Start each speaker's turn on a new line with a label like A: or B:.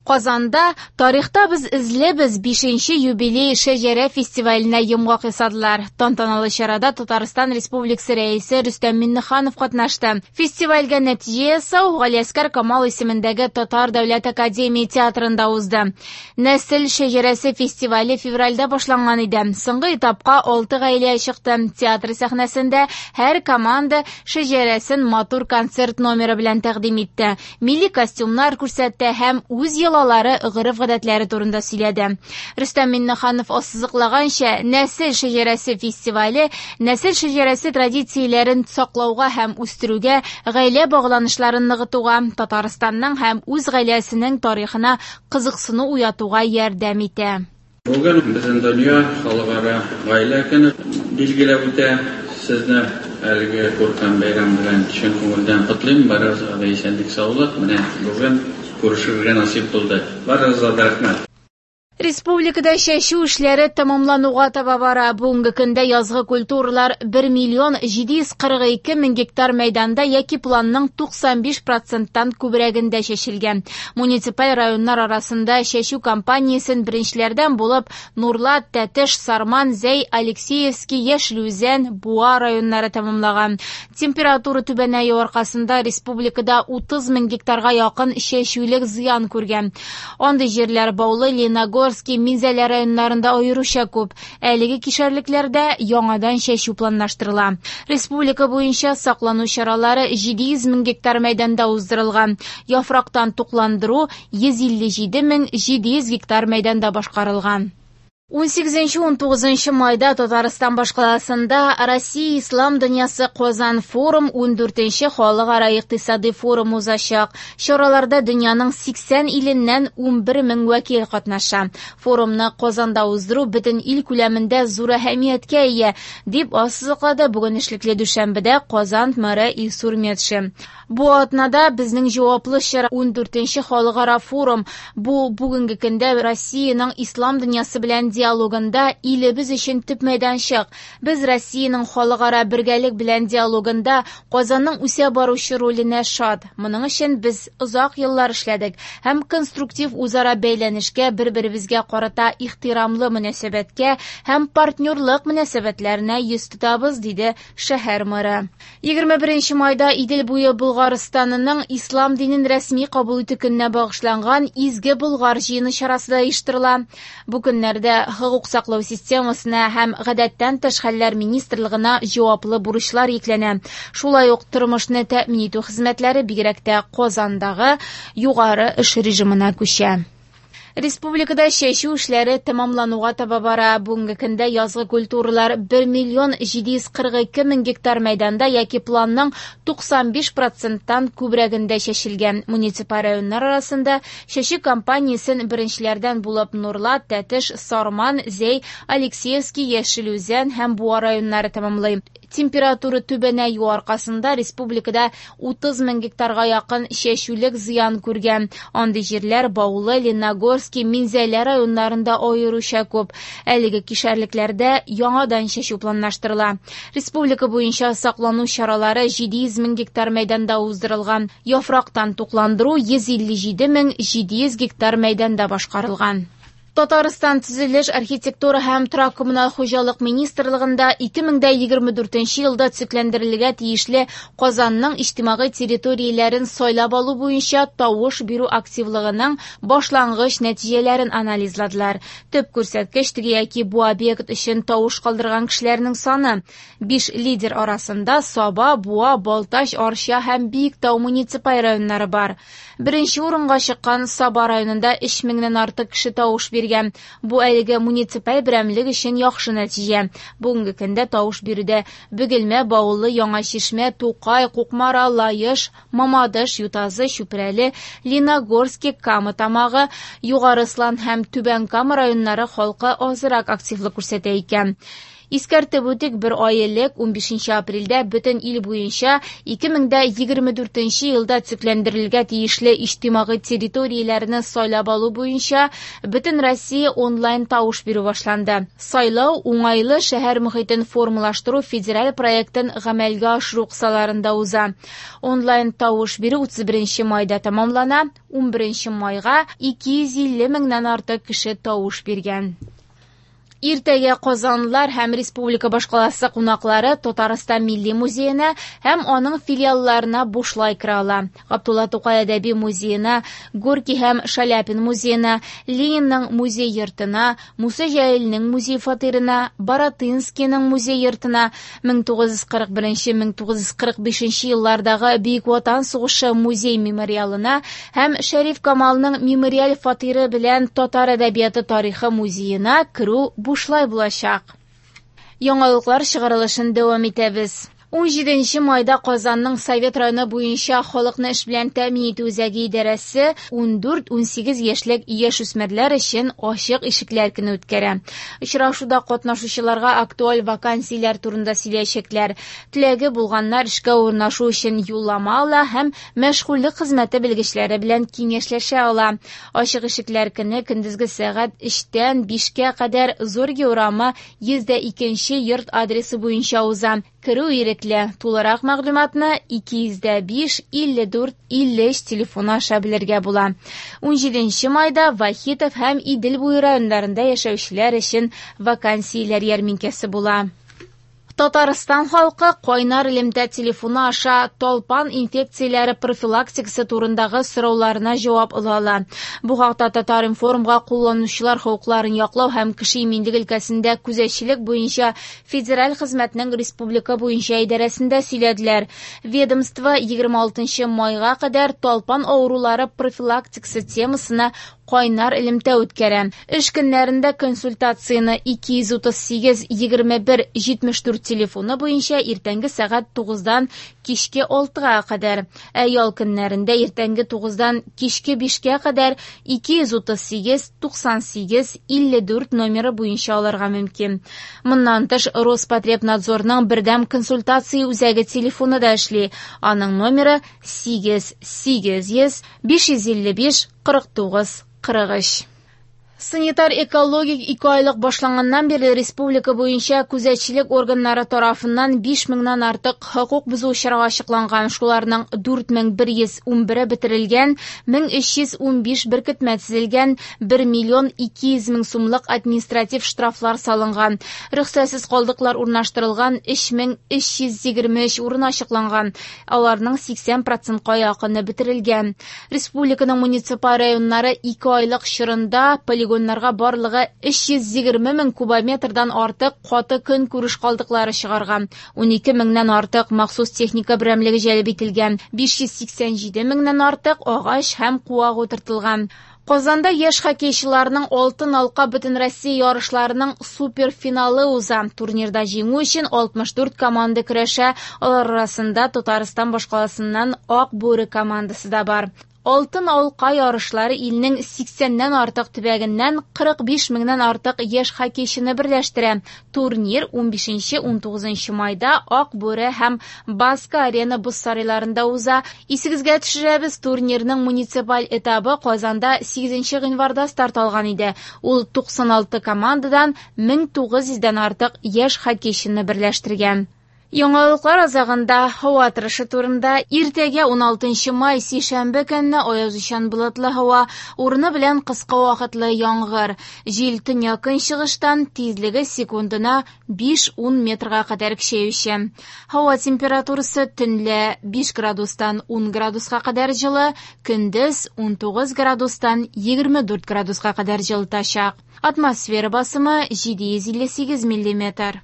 A: Казанда «Тарихта без эзлебез» 5нче юбилей шәҗәрә фестиваленә йомгак ясадылар. Тантаналы чарада Татарстан Республикасы Рәисе Рөстәм Миңнеханов катнашты. Фестивальгә нәтиҗә ясау Галиәсгар Камал исемендәге Татар дәүләт академия театрында узды. Нәсел шәҗәрәсе фестивале февральдә башланган иде. Соңгы этапка 6 гаилә чыкты. Театр сәхнәсендә һәр команда шәҗәрәсен матур концерт номеры белән тәкъдим итте. Милли костюмнар күрсәтте һәм үз йолалары, гореф-гадәтләре турында сөйләде. Рөстәм Миңнеханов ассызыклаганча, нәсел шәҗәрәсе фестивале нәсел шәҗәрәсе традицияләрен саклауга һәм үстерүгә, гаилә багланышларын ныгытуга, Татарстанның һәм үз гаиләсенең тарихына кызыксыну уятуга ярдәм итә.
B: Бүген бөтен дөнья халыкара гаилә көне билгеләп үтә. Сезне әлеге күркәм бәйрәм белән чын күңелдән котлыйм. Барыгызга да исәнлек, саулык. Менә бүген күрешергә насыйп булды. Барыгызга да рәхмәт.
A: Республикада чәчү эшләре тәмамлануга таба бара. Бүгенге көндә язгы культуралар 1 миллион 742 мең гектар мәйданда яки планның 95 проценттан күбрәгендә чәчелгән. Муниципаль районнар арасында чәчү кампаниясен беренчеләрдән булып Нурлат, Тәтеш, Сарман, Зәй, Алексеевский, Яшел Үзән, Буа районнары тәмамлаган. Температура түбәнәю аркасында республикада 30 мең гектарга якын чәчүлек зыян күргән. Андый җирләр Баулы, Лениногорский, Минзәлә районнарында аеруча күп. Әлеге кишәрлекләрдә яңадан чәчү планлаштырыла. Республика буенча саклану чаралары 700 мең гектар мәйданда уздырылган. Яфрактан тукландыру 157 мең 700 гектар мәйданда башкарылган. 18-19 майда Татарстан башкаласында Россия Ислам дөньясы Казан форум 14нче халыкара икътисади форум узачак. Чараларда дөньяның 80 иленнән 11 мең вәкил катнаша. Форумны Казанда уздыру бөтен ил күләмендә зур әһәмияткә ия, дип ассызыклады бүген эшлекле дүшәмбедә Казан мэры Илсур Метшин. Бу атнада безнең җаваплы чара 14нче халыкара форум. Бу бүгенге көндә Россиянең ислам дөньясы белән диалогында илебез өчен төп мәйданчык. Без Россиянең халыкара бергәлек белән диалогында Казанның үсә баручы роленә шат. Моның өчен без озак еллар эшләдек һәм конструктив үзара бәйләнешкә, бер-беребезгә карата ихтирамлы мөнәсәбәткә һәм партнерлык мөнәсәбәтләренә йөз тотабыз, диде шәһәр мэры. 21 майда Идел буе Болгарстанының ислам динен рәсми кабул итү көненә багышланган Изге Болгар җыены чарасы да оештырыла. Бу көннәрдә хокук саклау системасына һәм гадәттән тыш хәлләр министрлыгына җаваплы бурычлар йөкләнә. Шулай ук тормышны тәэмин итү хезмәтләре бигрәк тә Казандагы югары эш режимына күчә. Республикада чәчү эшләре тәмамлануга таба бара. Бүгенге көндә язгы культуралар 1 миллион 742 мең гектар мәйданда яки планның 95 проценттан күбрәгендә чәчелгән. Муниципаль районнар арасында чәчү кампаниясен беренчеләрдән булып Нурлат, Тәтеш, Сарман, Зәй, Алексеевский, Яшел Үзән һәм Буа районнары тәмамлый. Температура түбәнәю аркасында республикада 30 мең гектарга якын чәчүлек зыян күргән. Андый җирләр Баулы, Лениногорский, Минзәлә районнарында аеруча күп. Әлеге кишәрлекләрдә яңадан чәчү планлаштырыла. Республика буенча саклану чаралары 700 мең гектар мәйданда уздырылган. Яфрактан тукландыру 157 мең 700 гектар мәйданда башкарылган. Татарстан төзелеш, архитектура һәм торак коммуналь хуҗалык министрлыгында 2024 елда төзекләндерелергә тиешле Казанның иҗтимагый территорияләрен сайлап алу буенча тавыш бирү активлыгының башлангыч нәтиҗәләрен анализладылар. Төп күрсәткеч теге яки бу объект өчен тавыш калдырган кешеләрнең саны. 5 лидер арасында Саба, Буа, Балтач, Арча һәм Биектау муниципаль районнары бар. Беренче урынга чыккан Саба районында 3 меңнән артык кеше тавыш биргән. Бу әлеге муниципаль берәмлек өчен яхшы нәтиҗә. Бүгенге көндә тавыш бирүдә Бөгелмә, Баулы, Яңа Чишмә, Тукай, Кукмара, Лаеш, Мамадыш, Ютазы, Чүпрәле, Лениногорский, Кама Тамагы, Югары Слан һәм Түбән Кама районнары халкы азрак активлык күрсәтә икән. Искәртеп үтик, бер ай элек, 15 апрельдә бөтен ил буенча 2024 елда төзекләндерелергә тиешле иҗтимагый территорияләрне сайлап алу буенча Бөтенроссия онлайн тавыш бирү башланды. Сайлау уңайлы шәһәр мохитен формалаштыру федераль проектын гамәлгә ашыру кысаларында уза. Онлайн тавыш бирү 31 майда тәмамлана. 11 майга 250 меңнән артык кеше тавыш биргән. Иртәгә казанлылар һәм республика башкаласы кунаклары Татарстан Милли музеена һәм аның филиалларына бушлай керә ала. Габдулла Тукай әдәби музеена, Горький һәм Шаляпин музеена, Ленинның музей йортына, Муса Җәлилнең музей фатирына, Баратынскийның музей йортына, 1941-1945 еллардагы Бөек Ватан сугышы музей мемориалына һәм Шәриф Камалның мемориаль фатиры белән Татар әдәбияты тарихы музеена керү бушлай булачак. Яңалыклар чыгарылышын дәвам итәбез. 17 майда Казанның Совет районы буенча халыкны эш белән тәэмин итү үзәге идарәсе 14-18 яшьлек яшүсмерләр өчен ачык ишекләр көне үткәрә. Очрашуда катнашучыларга актуаль вакансияләр турында сөйләячәкләр. Теләге булганнар эшкә урнашу өчен юллама ала һәм мәшгульлек хезмәте белгечләре белән киңәшләшә ала. Ачык ишекләр көне көндезге сәгать 3-тән 5-кә кадәр Зорге урамы 102 йорт адресы буенча уза. Керү ирекле. Тулырак мәгълүматны 205 54 53 телефоны аша белергә була. 17 майда Вахитов һәм Идел буе районнарында яшәүчеләр өчен вакансияләр ярминкәсе була. Татарстан халкы кайнар элемтә телефоны аша талпан инфекцияләре профилактикасы турындагы сорауларына җавап ала ала. Бу хакта Татар-информга кулланучылар хокукларын яклау һәм кеше иминлеге өлкәсендә күзәтчелек буенча федераль хезмәтнең республика буенча идарәсендә сөйләделәр. Ведомство 26 майга кадәр талпан авырулары профилактикасы темасына кайнар элемтә үткәрә. Эш көннәрендә консультацияне 238 21 74 телефоны буенча иртәнге сәгать 9-дан кичке 6-га кадәр, ә ял көннәрендә иртәнге 9-дан кичке 5-кә кадәр 238 98 54 номеры буенча алырга мөмкин. Моннан тыш Роспотребнадзорның бердәм консультация үзәге телефоны да эшли. Аның номеры 8 800 555 49 43. Санитар-экологик ике айлык башланганнан бирле республика буенча күзәтчелек органнары тарафыннан 5000-нән артык хокук бозу очрагы ачыкланган. Шуларның 4111-е бетерелгән, 1315 беркетмә төзелгән, 1 миллион 200 мең сумлык административ штрафлар салынган. Рөхсәтсез калдыклар урнаштырылган 3323 урын ачыкланган. Аларның 80%-ка якыны бетерелгән. Республиканың муниципаль районнары ике айлык чорында полигоннарга барлыгы 320 мең кубометрдан артык каты көнкүреш калдыклары чыгарган. 12 меңнән артык махсус техника берәмлеге җәлеп ителгән. 587 меңнән артык агач һәм куак утыртылган. Казанда яшь хоккейчыларның Алтын алка Бөтенроссия ярышларының суперфиналы уза. Турнирда җиңү өчен 64 команда көрәшә. Алар арасында Татарстан башкаласыннан Ак бүре командасы да бар. Алтын алка ярышлары илнең 80-нән артык төбәгеннән 45 меңнән артык яшь хоккейчыны берләштерә. Турнир 15-19 майда Ак бүре һәм Баска арена боз сарайларында уза. Исегезгә төшерәбез, турнирның муниципаль этабы Казанда 8 гыйнварда старт алган иде. Ул 96 командадан 1900-дән артык яшь хоккейчыны берләштергән. Яңалыклар азагында һава торышы турында. Иртәгә 16 май сишәмбе көнне аязучан болытлы һава, урыны белән кыска вакытлы яңгыр. Җил төньяк көнчыгыштан, тизлеге секундына 5-10 метрга кадәр көчәюче. Һава температурасы төнлә 5 градустан 10 градуска кадәр җылы, көндез 19 градустан 24 градуска кадәр җылытачак. Атмосфера басымы 758 миллиметр.